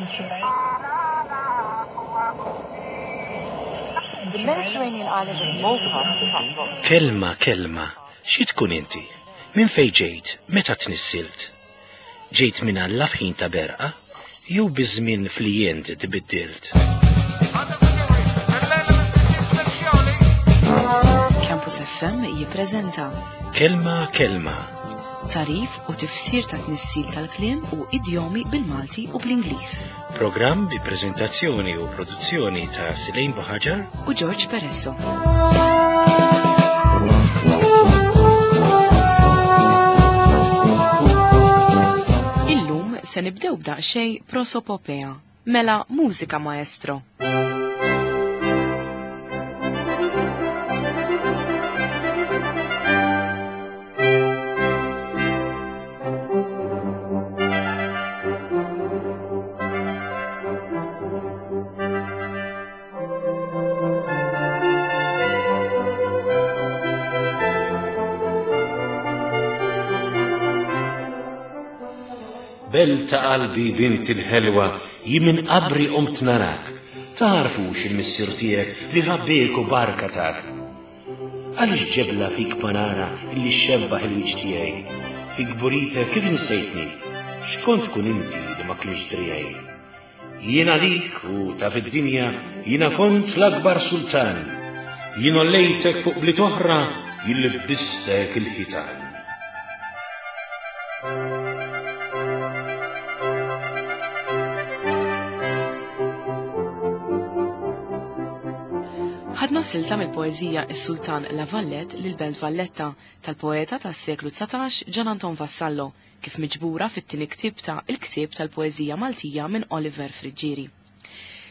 The Mediterranean island of Malta attracts lots of Kelma, kelma, xi tkun inti? Minn fejn ġejt? Meta tnissilt? Ġejt minn Alla f'ħin ta' berqa? Jew biż-żmien fli int tbiddilt? Campus FM jippreżenta Kelma, kelma, tarif u tifsir ta' tnissil tal-kliem u idjomi bil-Malti u bl-Ingliż. programm bi preżentazzjoni u produzzjoni ta' Silejn Buħaġar U George Peresso. Illum se nibdew b'daqsxejn prosopopea, mela mużika maestro. Belt ta' qalbi bint il-ħelwa jien minn qabri qomt narak. Tagħrfux il-missier tiegħek li rabbiek u barka tak. Għaliex ġebla fik ma nara illi xxebbaħ il-wiċċ tiegħi? Fi kburitek kif insejtni? X'kont tkun inti li ma kienx driegħi? Jien għalik u ta' fid-dinja jiena kont l-akbar sultan. Jien ollejtek fuq bliet oħra jien libbistek il-ħitan. Ħadna silta mill-poeżija Is-Sultan La Valette lil Belt Valletta tal-poeta tas-seklu 19 Gian Anton Vassallo kif miġbura fit-tieni ktieb ta' Il-Ktieb tal-Poeżija Maltija minn Oliver Friggieri.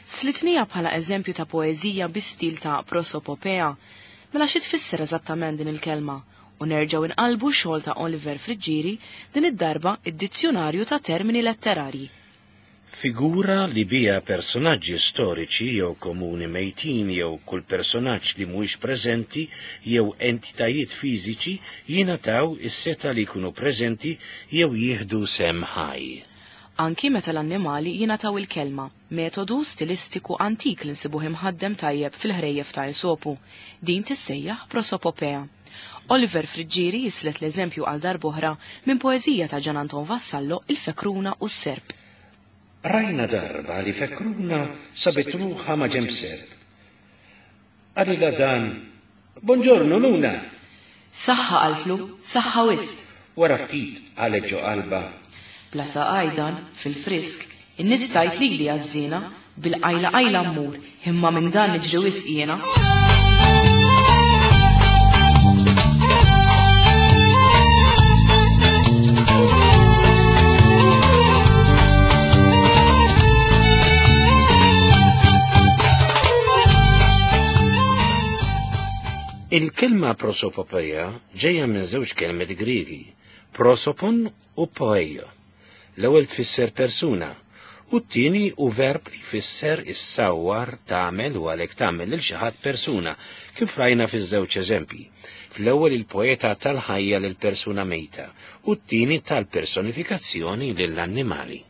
Slitnija bħala eżempju ta' poeżija bi stil ta' prosopopea. Mela xi tfisser eżattament din il-kelma? U nerġgħu inqalbu xogħol ta' Oliver Friggieri din id-darba id-dizzjonarju ta' termini letterarji. Figura li biha personaġġi storiċi jew komuni mejtin jew kull personaġġ li mhuwiex preżenti jew entitajiet fiżiċi jingħataw is-setgħa li jkunu preżenti jew jieħdu sehem ħaj. Anki meta l-annimali jingħataw il-kelma, metodu stilistiku antik li nsibuh imħaddem tajjeb fil-ħrejjef ta' Esopu. Din tissejjaħ prosopopea. Oliver Friggieri jislet l-eżempju għal darb'oħra minn poeżija ta' Gian Anton Vassallo Il-Fekruna u s-Serp. Rajna darba li fekruna sabet ruħha ma' ġenb serp. Qalilha dan, Bonġornu Luna! Saħħa qaltlu, saħħa wisq. Wara ftit qalet ġo qalbha. Bla saqaj dan, fil-frisk, in-nies tgħid lili għażżiena, bil-qajla qajla mmur, imma minn dan niġri wisq jiena. Il-kelma prosopopea ġejja minn żewġ kelmiet Griegi, prosopon u poeio. L-ewwel tfisser persuna u t-tieni hu verb li jfisser issawwar, tagħmel u għalhekk tagħmel lil xi ħadd persuna, kif rajna fiż-żewġ eżempji. Fl-ewwel il-poeta tal-ħajja lil persuna mejta u t-tieni tal-personifikazzjoni lill-annimali.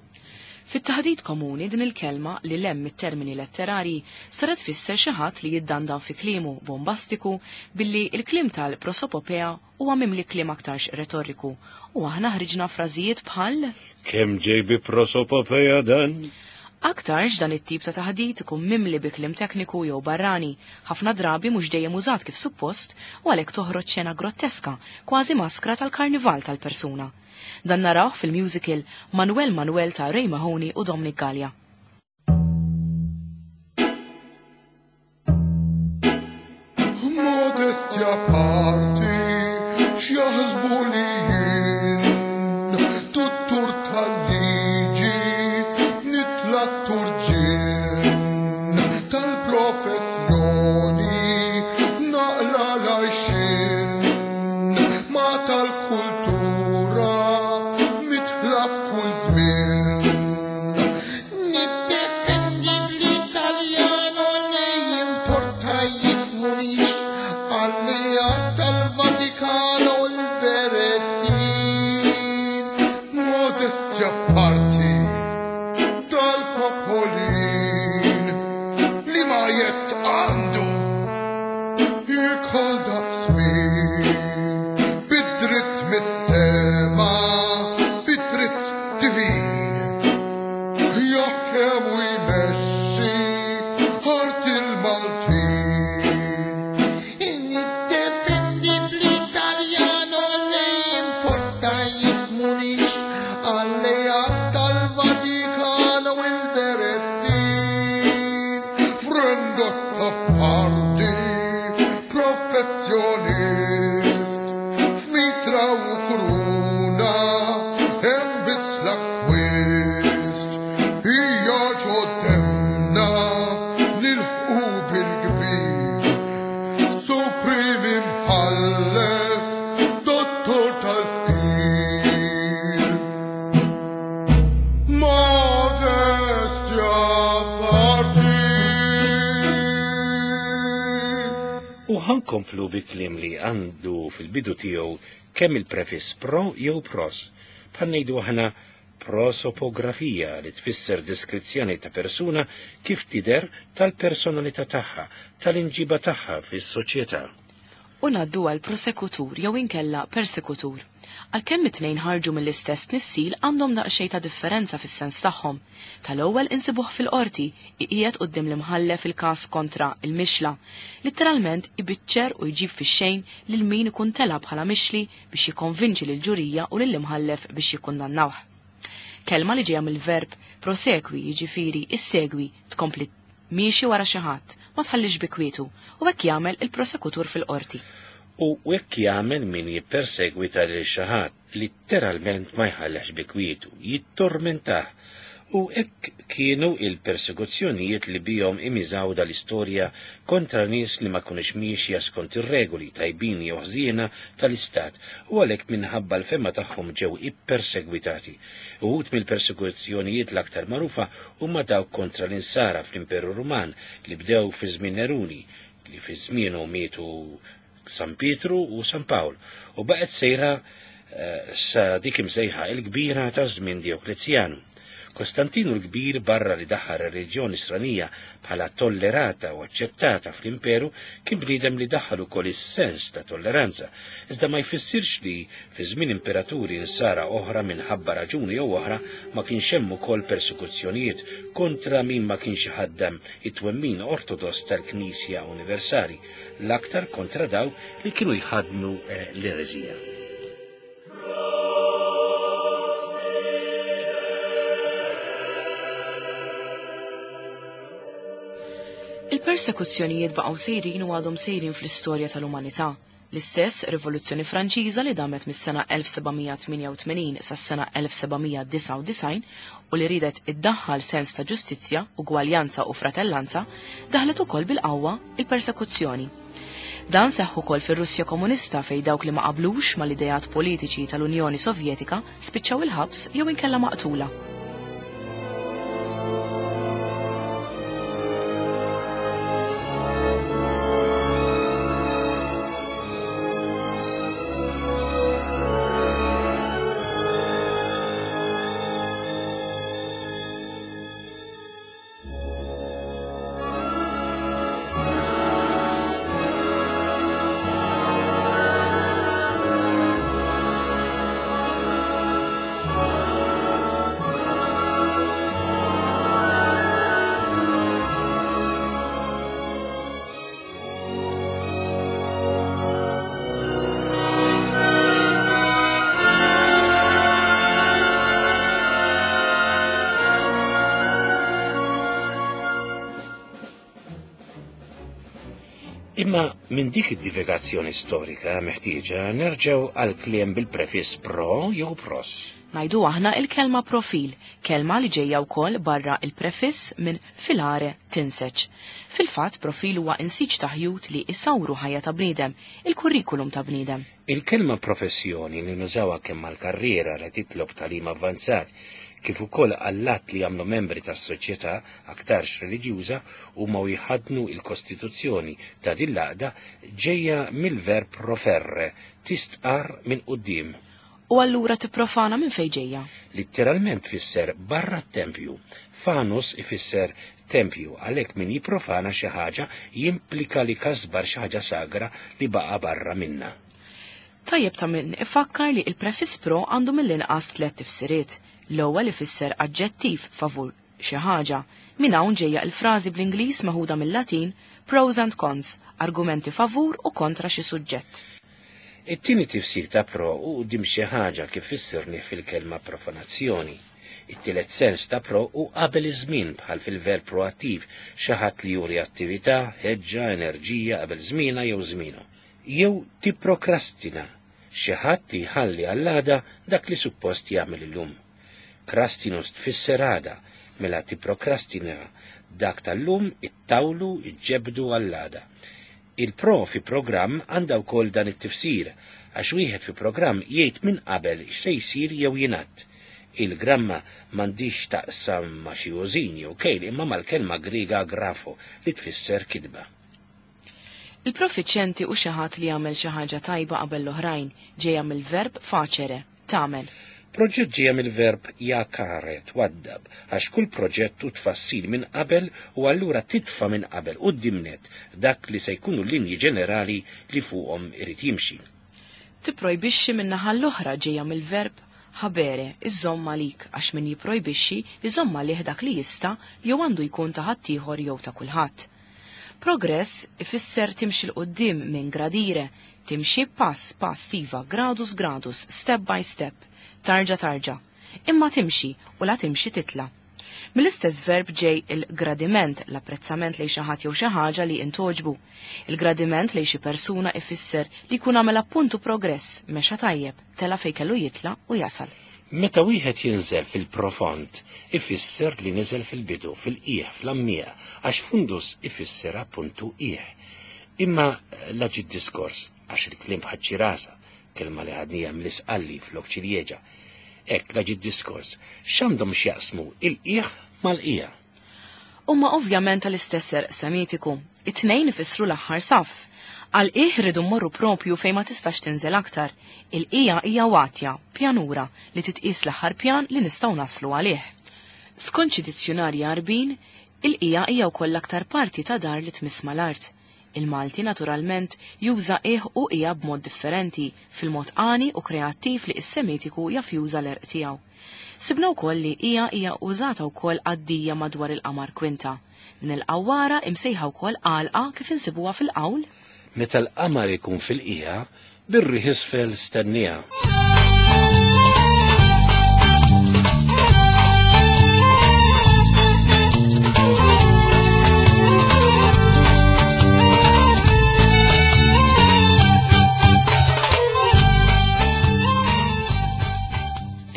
Fit-taħdit komuni din il-kelma li lemm it-termini letterarji saret tfisser xi ħadd li jiddandan fi kliemu bombastiku billi il-kliem tal-prosopopea huwa mimli kliem aktarx retoriku u aħna ħriġna frażijiet bħal Kemm ġej bi prosopopea dan? Aktarx dan it-tip ta' taħdit ikun mimli bi kliem tekniku jew barrani, ħafna drabi mhux dejjem użat kif suppost u għalhekk toħroġ xena grotteska, kważi maskra tal-karnival tal-persuna. Dan narawh fil-musical Manuel Manuel ta' Ray Mahoney u Dominic Gallia. Modestja parti, x'jaħsbu li jien, tuttur tal-liġi, nitla' turġien, tal-professjoni, naqla l-għajxien, ma tal-kultura, mitla f'kull żmien. Niddefendi bl-Italjano li jimporta jifmunix għallija tal-Vatikano l-Berettin. Modestja parti dal-popolin. Għalli tal-Vatikano il-Berettin, Frendozza parti, professjonist, f'mitra u kuruna, hemm biss l-akkwist, hija ġoddemna nilħqu bil-kbir. Supreme imħallef, dottor tal-fqir. Modestia parti. U ħankomplu bi kliem li għandu fil-bidu tiegħu kemm il-prefiss pro jew pros. Bħal ngħidu aħna prosopografija li tfisser deskrizzjoni ta' persuna kif tidher tal-personalità tagħha, tal-inġiba tagħha fis-soċjetà. U ngħaddu għal prosekutur jew inkella persekutur. Għalkemm it-tnejn ħarġu mill-istess tnissil għandhom daqsxejn ta' differenza fis-sens tagħhom. Tal-ewwel insibuh fil-qorti, iqiegħed quddiem l-imħallef il-każ kontra il-mixla. Litteralment ibiċċer u jġib fix-xejn lil min ikun tela bħala mixli biex jikkonvinċi lill-ġurija u lill-imħallef biex jikkundannawh. Kelma li ġejja mill-verb prosekwi, jiġifieri issegwi, tkompli miexi wara xi ħadd, ma tħallix bi kwietu, u hekk jagħmel il-prosekutur fil-qorti. U hekk jagħmel min jippersegwita lil xi ħadd, litteralment ma jħallix bi kwietu, jittormentah. U hekk kienu il-persekuzzjonijiet li bihom imiżawda l-istorja kontra nies li ma kunux miexja skont ir-regoli tajbin jew ħżiena tal-istat, u għalhekk minħabba l-fema tagħhom ġew ippersegwitati. Uħud mill-persekuzzjonijiet l-aktar magħrufa huma dawk kontra l-insara fl-Imperu Ruman li bdew fi żmien Neruni, li fi żmienu mietu San Pietru u San Pawl, u baqgħet sejra sa dik imsejħa il-kbira ta' żmien Dioklezjanu. Kostantinu l-Kbir barra li daħħal reliġjoni Nisranija bħala tollerata u aċċettata fl-imperu kien bniedem li daħħal ukoll is-sens ta' tolleranza, iżda ma jfissirx li fi żmien imperaturi nsara oħra minħabba raġuni jew oħra ma kienx hemm ukoll persekuzzjonijiet kontra min ma kienx iħaddem it-twemmin ortodoss tal-Knisja Universali, l-aktar kontra daw li kienu jħaddnu l-ereżija. Il-persekuzzjonijiet baqgħu sejrin u għadhom sejrin fl-istorja tal-umanità. L-istess Rivoluzzjoni Franċiża li damet mis-sena 1788 sas-sena 1799 u li ridet iddaħħal sens ta' ġustizzja, ugwaljanza u fratellanza, daħlet ukoll bil-qawwa il-persekuzzjoni. Dan seħħ ukoll fir-Russja Komunista fejn dawk li ma qablux mal-ideat politiċi tal-Unjoni Sovjetika spiċċaw il-ħabs jew inkella maqtula. Imma minn dik id-divagazzjoni storika meħtieġa nerġgħu għal kliem bil-prefiss pro jew pros. Ngħidu aħna il-kelma profil, kelma li ġejja wkoll barra il-prefiss minn filare tinseġ. Fil-fatt profil huwa insiġ ta' ħjut li isawru ħajja ta' bniedem, il-kurrikulum ta' bniedem. Il-kelma professjoni li nużawha kemm għall-karriera li titlob tagħlim avvanzat kif ukoll għall-att li jagħmlu membri tas-soċjetà aktarx reliġjuża huma u jħaddnu il-kostituzzjoni ta' din l-għaqda ġejja mill-verb proferre, tistqar minn quddiem. U allura tipprofana minn fejn ġejja? Litteralment tfisser barra t-tempju. Fanus ifisser tempju, għalhekk min jipprofana xi ħaġa jimplika li kasbar xi ħaġa sagra li baqa' barra minna. Tajjeb ta' min ifakkar li il-prefiss pro għandu mill-inqas tliet tifsiriet. L-ewwel ifisser aġġettiv favur xi ħaġa. Minn hawn ġejja l-frażi bl-Ingliż meħuda mill-Latin pros and cons, argumenti favur u kontra xi suġġett. It-tieni tifsir ta' pro hu quddiem xi ħaġa kif fissirni fil-kelma profanazzjoni. It-tielet sens ta' pro hu qabel iż-żmien bħal fil-verb proattiv, xi ħadd li juri attività, ħeġġa, enerġija qabel żmienha jew żmienu. Jew tipprokrastina, xi ħadd li jħalli għall-għada dak li suppost jagħmel illum. Krastinus tfisser għada, mela tipprokrastina dak tal-lum ittawlu, iġġebbdu għall-għada. Il-pro fi programm għandha wkoll dan it-tifsir, għax wieħed fi programm jgħid minn qabel x'se jsir jew jingħad. Il-gramma m'għandhiex x'taqsam ma' xi użin jew kejl imma mal-kelma Griega grapho li tfisser kitba. Il-profiċjenti hu xi ħadd li jagħmel xi ħaġa tajba qabel l-oħrajn, ġejja mill-verb facere, tagħmel. Proġett ġejja mill-verb jacare, twaddab, għax kull proġett hu tfassil minn qabel u allura titfa' minn qabel quddiem nett dak li se jkunu l-linji ġenerali li fuqhom irid jimxi. Tipprojbixxi min-naħa l-oħra ġejja mill-verb habere, iżżomm għalik, għax min jipprojbixxi jżomm għalih dak li jista' jew għandu jkun ta' ħaddieħor jew ta' kulħadd. Progress ifisser timxi 'l quddiem minn gradire, timxi pass pass iva, gradus gradus, step by step, tarġa tarġa. Imma timxi, u la timxi titla'. Mill-istess verb ġej il-gradiment, l-apprezzament lejn xi ħadd jew xi ħaġa li intgħoġbu. Il-gradiment lejn xi persuna ifisser li jkun għamel appuntu progress, mexa tajjeb, tela' fejn kellu jitla' u jasal. Meta wieħed jinżel fil-profond, ifisser li niżel fil-bidu, fil-qiegħ, fl-għammieq, għax fundus ifisser appuntu qiegħ. Imma la ġie d-diskors, għax il-kliem bħaċ-ċirasa, kelma li ħadniha mill-Isqalli flok ċiljeġa, hekk la ġie d-diskors, x'għandhom x'jaqsmu il-qiegħ mal-qiegħ? Huma ovvjament tal-istess għerq Semitiku. It-tnejn ifissru l-aħħar saff. Għall-qiegħ irridu mmorru proprju fejn ma tistax tinżel aktar. Il-qiegħa hija watja, pjanura, li titqies l-aħħar pjan li nistgħu naslu għalih. Skont xi dizzjunarji Għarbin, il-qiegħa hija wkoll l-aktar parti ta' dar li tmiss mal-art. Il-Malti, naturalment, juża qiegħ u qiegħa b'mod differenti, fil-mod għani u kreattiv li s-Semitiku jaf juża l-għerq tiegħu. Sibna wkoll li qiegħa hija użata wkoll għad-dija madwar il-qamar kwinta. Din il-qawwara, imsejħa wkoll għalqa kif insibuha fil-qawl. Meta l-qamar ikun fil-qiegħa, bir-riħ isfel stenniha.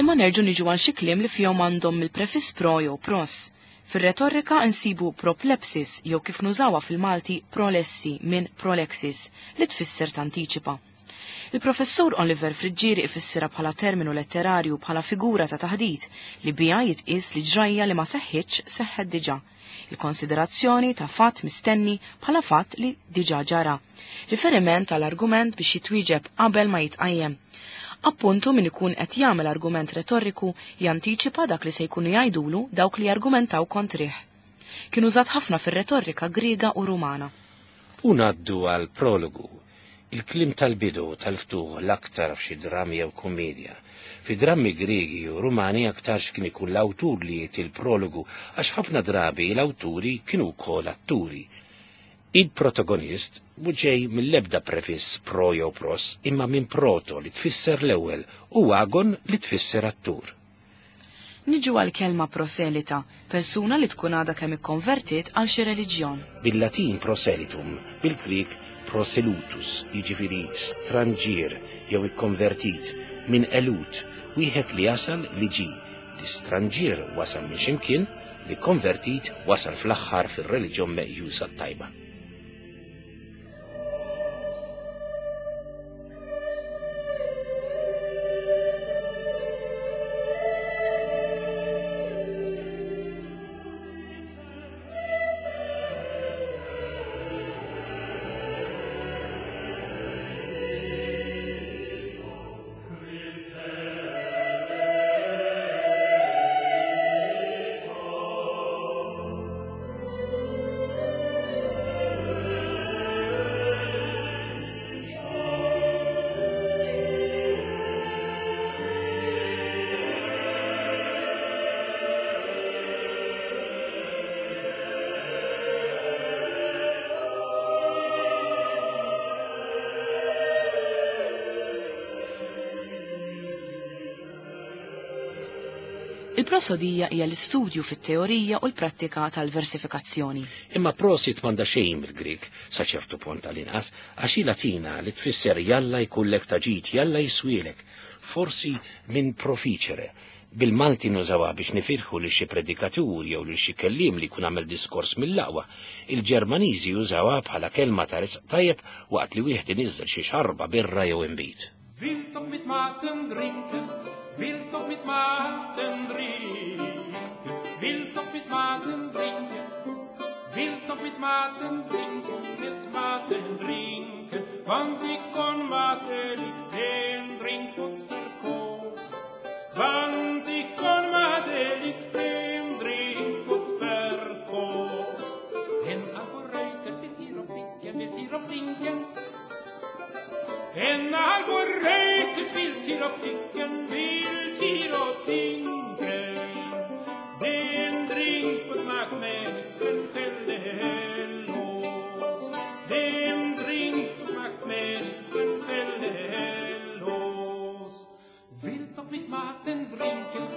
Imma nerġgħu niġu għal xi kliem li fihom għandhom il-prefiss pro jew pros. Fir-retorika nsibu proplepsis jew kif nużawha fil-Malti prolessi minn prolexis li tfisser tantiċipa. Il-Professur Oliver Friggieri ifissirha bħala terminu letterarju bħala figura ta' taħdit li biha jitqies li ġrajja li ma seħħitx seħħet diġà. Il-konsiderazzjoni ta' fatt mistenni bħala fatt li diġà ġara. Riferiment għal argument biex jitwieġeb qabel ma jitqajjem. Appuntu min ikun qed jagħmel argument retorriku jantiċipa dak li se jkunu jgħidulu dawk li jargumentaw kontrih. Kien użat ħafna fir-retorrika Griega u Rumana. U ngħaddu għall-prologu, il-kliem tal-bidu, tal-ftuħ, l-aktar f'xi drammi jew kummiedja. Fi drammi Griegi u Rumani aktarx kien ikun l-awtur li jagħti l-prologu għax ħafna drabi l-awturi kienu wkoll atturi. Il-protagonist mhu ġej mill-ebda prefiss pro jew pros imma minn proto li tfisser l-ewwel u agon li tfisser attur. Niġu għall-kelma proselita, persuna li tkun għadha kemm ikkonvertiet għal xi reliġjon. Bil-Latin proselitum, bil-Grieg proselutus, jiġifieri stranġier jew ikkonvertit, minn elut, wieħed li jasal li ġie. L-istranġier wasal minn xi mkien, li kkonvertit wasal fl-aħħar fir-reliġjon meqjusa t-tajba. Il-prosodija hija l-istudju fit-teorija u l-prattika tal-versifikazzjoni. Imma prosit m'għandha xejn mill-Grieg, sa ċertu punt tal-inqas, għax hi Latina li tfisser jalla jkollek ta' ġid, jalla jiswielek, forsi minn proficere. Bil-Malti nużawha biex nifirħu lil xi predikatur jew lil xi kelliem li jkun għamel diskors mill-aqwa. Il-Ġermaniżi jużawha bħala kelma ta' risq tajjeb waqt li wieħed iniżżel xi xarba birra jew inbid. Wil toch mit maten drinken, wil toch mit maten drinken, wil toch mit maten drinken, wil toch mit maten drinken, mit maten drinken, want ik kon maten niet den drinkpot verkoos. Want ik kon maten niet den drinkpot verkoos. En algoriters wil hier op dinken, wil hier op dinken. En algoriters vil til optikken, vil til optikken. Den drink på smak med en fellehellås. Den drink på smak med en fellehellås. Vill toch mit maten drinken,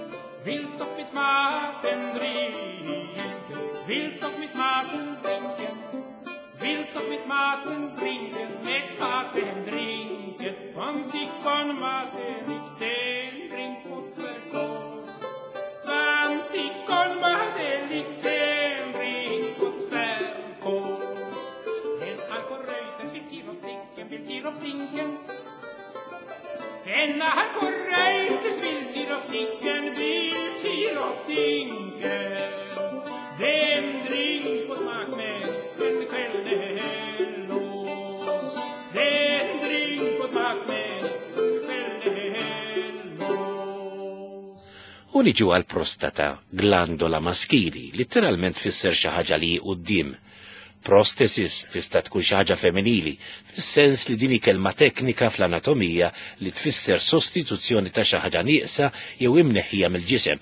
vill toch mit maten drinken, vill toch mit maten drinken. Wil toch mit maten drinken, met maten drinken, want ik kon maten niet den drinkpot verkoos. Want ik kon maten niet den drinkpot verkoos. En alkoholreuters wil hier op drinken, wil hier op drinken. En alkoholreuters wil hier op drinken, wil hier op drinken. Den drinkpot maakt met en kveldehellos. Den drinkpot maakt met kveldehellos. U niġu għal prostata, glandola maskili, litteralment tfisser xi ħaġa li hi quddiem. Prostesis tista' tkun xi ħaġa femminili, fis-sens li din hi kelma teknika fl-anatomija li tfisser sostituzzjoni ta' xi ħaġa nieqsa jew imneħħija mill-ġisem,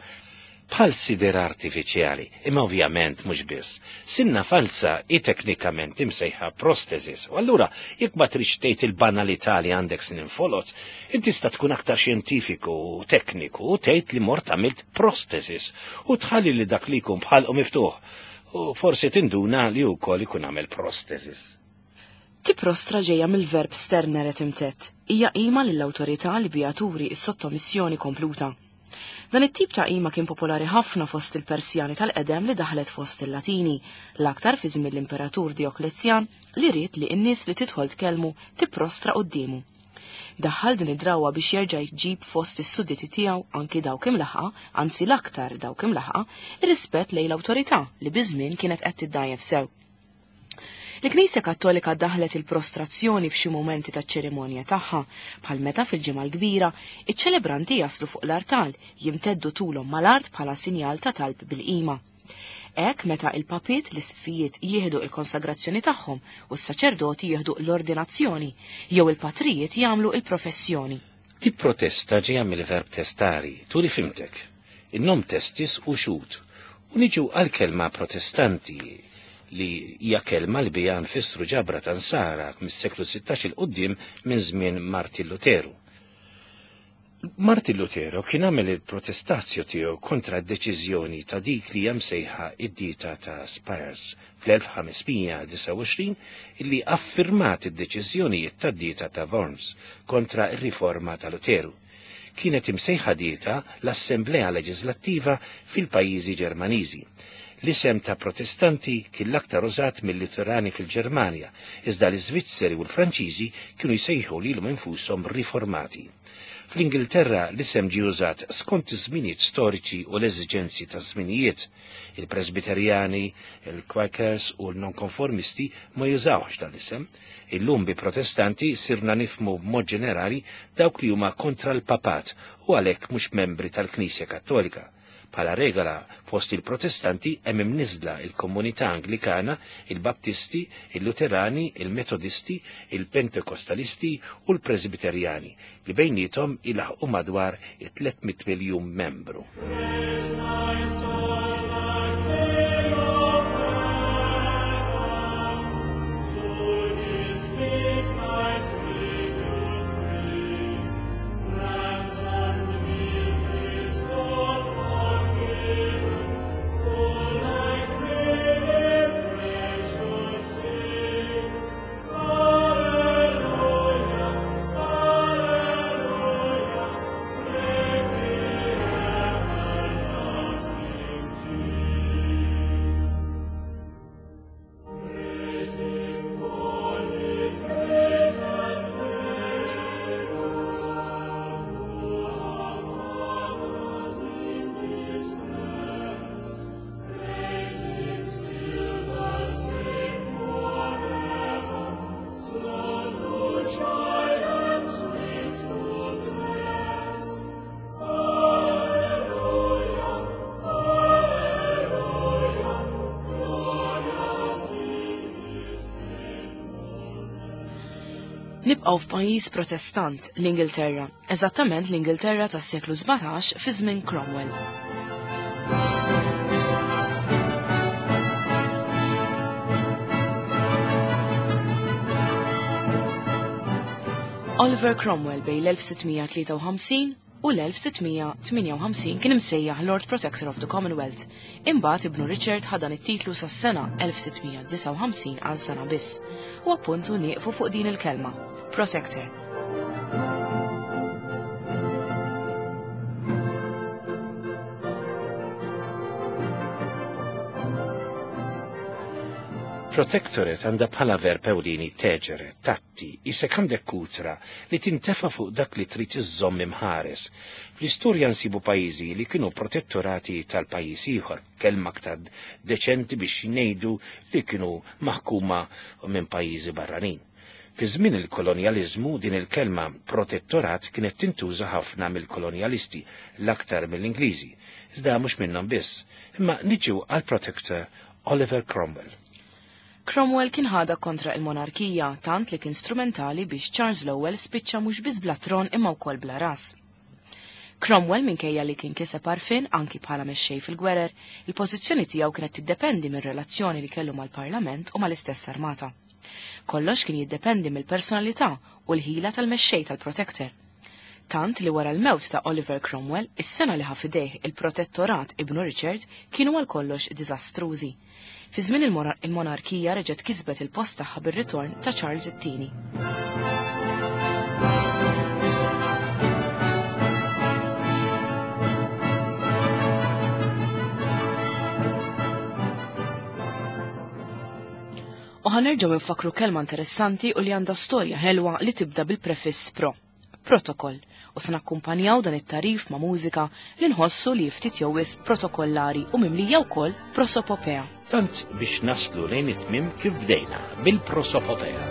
bħal sider artifiċjali, imma ovvjament mhux biss. Sinna falsa hi teknikament imsejħa prostesis, u allura jekk ma tridx tgħid il-banalità li għandek snin foloz, inti tista' tkun aktar xjentifiku u tekniku u tgħid li mort għamilt prostesis u tħalli li dak li jkun bħalqu miftuħ, u forsi tinduna li wkoll ikun għamel prostesis. Tiprostra ġejja mill-verb sternere timtet, hija qima lill-awtorità li biha turi s-sottomissjoni kompluta. Dan it-tip ta' qima kien popolari ħafna fost il-Persjani tal-qedem li daħlet fost il-Latini, l-aktar fi żmien l-Imperatur Dioklezjan li ried li n-nies li tidħol tkellmu tipprostra quddiemu. Daħħal din id-drawwa biex jerġa' jġib fost is-sudditi tiegħu anki dawk imlaħqa, anzi l-aktar dawk imlaħqa, ir-rispett lejn l-awtorità li biż-żmien kienet qed tiddajjef sew. Il-Knisja Kattolika daħlet il-prostrazzjoni f'xi mumenti taċ-ċerimonja tagħha, bħal meta fil-Ġimgħa l-Kbira iċ-ċelebranti jaslu fuq l-artal jimteddu tulhom mal-art bħala sinjal ta' talb bil-qima. Hekk meta il-papiet l-isqfijiet jieħdu il-konsagrazzjoni tagħhom u s-saċerdoti jieħdu l-ordinazzjoni, jew il-patrijiet jagħmlu il-professjoni. Tipprotesta ġejja mill-verb testari, turi fimtek. In-nom testis u xut. U niġu għal-kelma protestanti li hija kelma li biha nfissru ġabra ta' nsara mis-seklu 16 il quddiem minn żmien Martin Luteru. Martin Lutero kien għamel il-protestazjo tiegħu kontra d-deċiżjoni ta' dik li hija msejħa id-dieta ta' Spires fl-1529 illi affirmat id-deċiżjonijiet tad-dieta ta' Worms kontra r-riforma ta' Luteru. Kienet imsejħa dieta l-Assemblea Leġislattiva fil-pajjiżi Ġermaniżi. L-isem ta' protestanti kien l-aktar użat mill-Luterani fil-Ġermanja, iżda l-Iżvizzeri u l-Franċiżi kienu jsejħu lilhom infushom riformati. Fl-Ingilterra l-isem ġie użat skont iż-żminijiet storiċi u l-eżiġenzi ta' żminijiet. Il-Presbiterjani, il-Quakers u l-nonkonformisti ma jużawx dan l-isem. Illum bi protestanti sirna nifmu b'mod ġenerali dawk li huma kontra l-papat u għalhekk mhux membri tal-Knisja Kattolika. Bħala regola fost il-protestanti hemm imniżla il-komunità Anglikana, il-Baptisti, il-Luterani, il-Metodisti, il-Pentekostalisti u l-Presbiterjani li bejniethom ilaħqu madwar 300 miljun membru. Nibqgħu f'pajjiż Protestant, l-Ingilterra, eżattament l-Ingilterra tas-seklu 17 fi żmien Cromwell. Oliver Cromwell bejn l-1653 u l-1658 kien imsejjaħ Lord Protector of the Commonwealth. Imbagħad ibnu Richard ħa dan it-titlu sas-sena 1659 għal sena biss. U appuntu nieqfu fuq din il-kelma, Protector. Protectorate għandha bħala verb ewlieni teġere, tatti, isek għandek kutra li tintefa' fuq dak li trid iżżomm imħares. Fl-istorja nsibu pajjiżi li kienu protettorati tal-pajjiż ieħor, kelma aktar deċenti biex ngħidu li kienu maħkuma minn pajjiżi barranin. Fi żmien il-kolonjaliżmu din il-kelma protettorat kienet tintuża ħafna mill-kolonjalisti, l-aktar mill-Ingliżi, iżda mhux minnhom biss. Imma niġu għall-Protector Oliver Cromwell. Cromwell kien ħadha kontra il-monarkija tant li kien strumentali biex Charles l-ewwel spiċċa mhux biss bla tron imma wkoll bla ras. Cromwell minkejja li kien kiseb għarfien anki bħala mexxej fil-gwerer, il-pożizzjoni tiegħu kienet tiddependi mir-relazzjoni li kellu mal-Parlament u mal-istess armata. Kollox kien jiddependi mill-personalità u l-ħila tal-mexxej tal-Protector. Tant li wara l-mewt ta' Oliver Cromwell, is-sena li ħa f'idejh il-protettorat ibnu Richard kienu għal kollox diżastrużi. Fi żmien il-monarkija reġgħet kisbet il-post tagħha bir-ritorn ta' Charles it-tieni. U ħanerġgħu nfakru kelma interessanti u li għandha storja ħelwa li tibda bil-prefiss pro, protokoll, u se nakkumpanjaw dan it-tarif ma' mużika li nħossu li ftit jew wisq protokollari u mimlija wkoll prosopopea. Tant biex naslu lejn it-tmiem kif bdejna bil-prosopopea.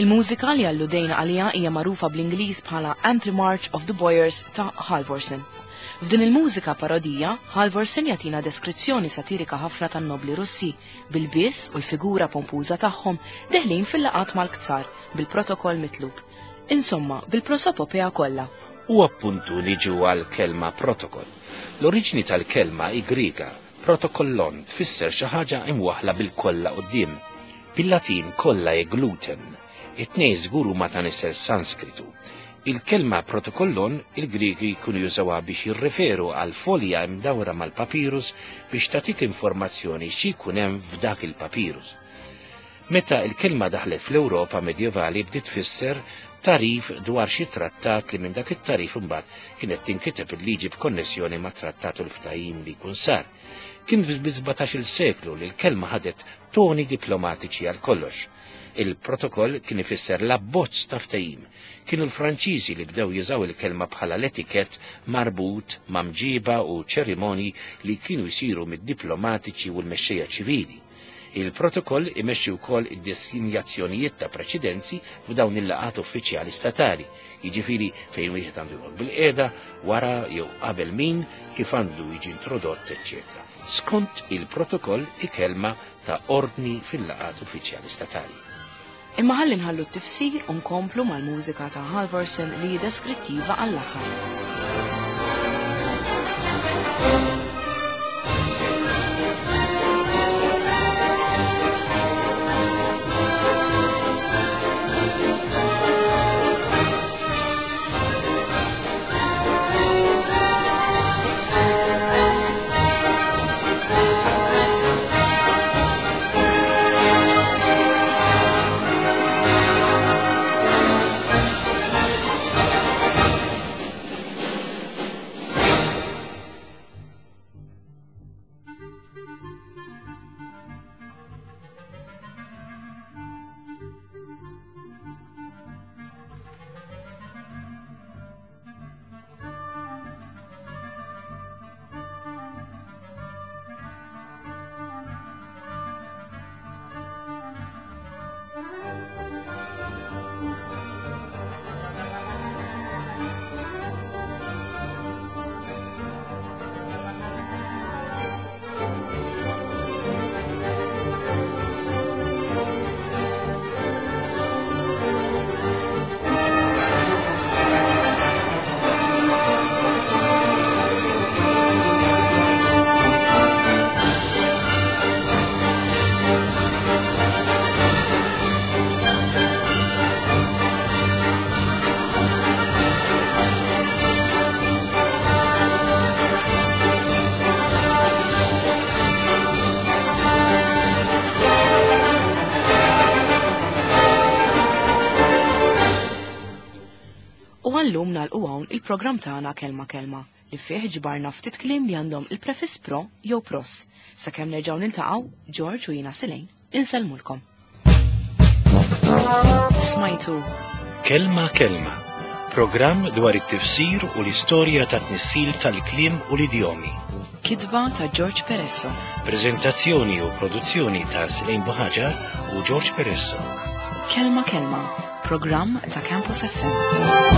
Il-mużika li alludejna għaliha hija magħrufa bl-Ingliż bħala Anthem March of the Boyars ta' Halvorsen. F'din il-mużika parodija, Halvorsen jagħtina deskrizzjoni satirika ħafna tan-nobli Russi bil-biss u l-figura pompuża tagħhom deħlin fil-laqat mal-ktsar bil-protokoll mitlub. Insomma, bil-prosopopea kollha. U appuntu niġu għal kelma protokoll. L-oriġini tal-kelma hi Griega, protokollon tfisser xi ħaġa imwaħla bil-kolla quddiem. Bil-Latin kolla e gluten. It-tnejn żgur huma ta' nisel Sanskritu. Il-kelma protokollon il-Griegi jkunu jużawha biex jirreferu għal folja imdawra mal-papirus biex tagħtik informazzjoni xi jkun hemm f'dak il-papirus. Meta il-kelma daħlet fl-Ewropa medjevali bdiet tfisser tarif dwar xi trattat li minn dak it-tarif imbagħad kienet tinkiteb il-liġi b'konnessjoni ma' trattat u l-ftehim li jkun sar. Kien fil-17-il seklu li l-kelma ħadet toni diplomatiċi għal kollox. Il-protokoll kien ifisser l-abbozz ta' ftehim. Kienu l-Franċiżi li bdew jużaw il-kelma bħala l-etikett marbut ma' mġiba u ċerimonji li kienu jsiru mid-diplomatiċi u l-mexxejja ċivili. Il-protokoll imexxi wkoll id-desinjazzjonijiet ta' preċedenzi f'dawn il-laqgħat uffiċjali statali, jiġifieri fejn wieħed għandu jqgħod bil-qiegħda, wara jew qabel min, kif għandu jiġi introdott, eċċetera. Skont il-protokoll ikelma ta' ordni fil-laqgħat uffiċjali statali. Imma ħalli nħallu t-tifsir u nkomplu mal-mużika ta' Halvorsen li hi deskrittiva għall-aħħar. U għallum nagħlqu hawn il-programm tagħna Kelma Kelma li fih ġbarna ftit kliem li għandhom il-prefiss pro jew pros. Sakemm nerġgħu niltaqgħu, George u jiena Silejn, insellmulkom. Smajtu Kelma Kelma, programm dwar it-tifsir u l-istorja ta' tnissil tal-kliem u l-idjomi. Kitba ta' George Peresso. Prezentazzjoni u produzzjoni ta' Silejn Buħaġar u George Peresso. Kelma Kelma, programm ta' Campus FM.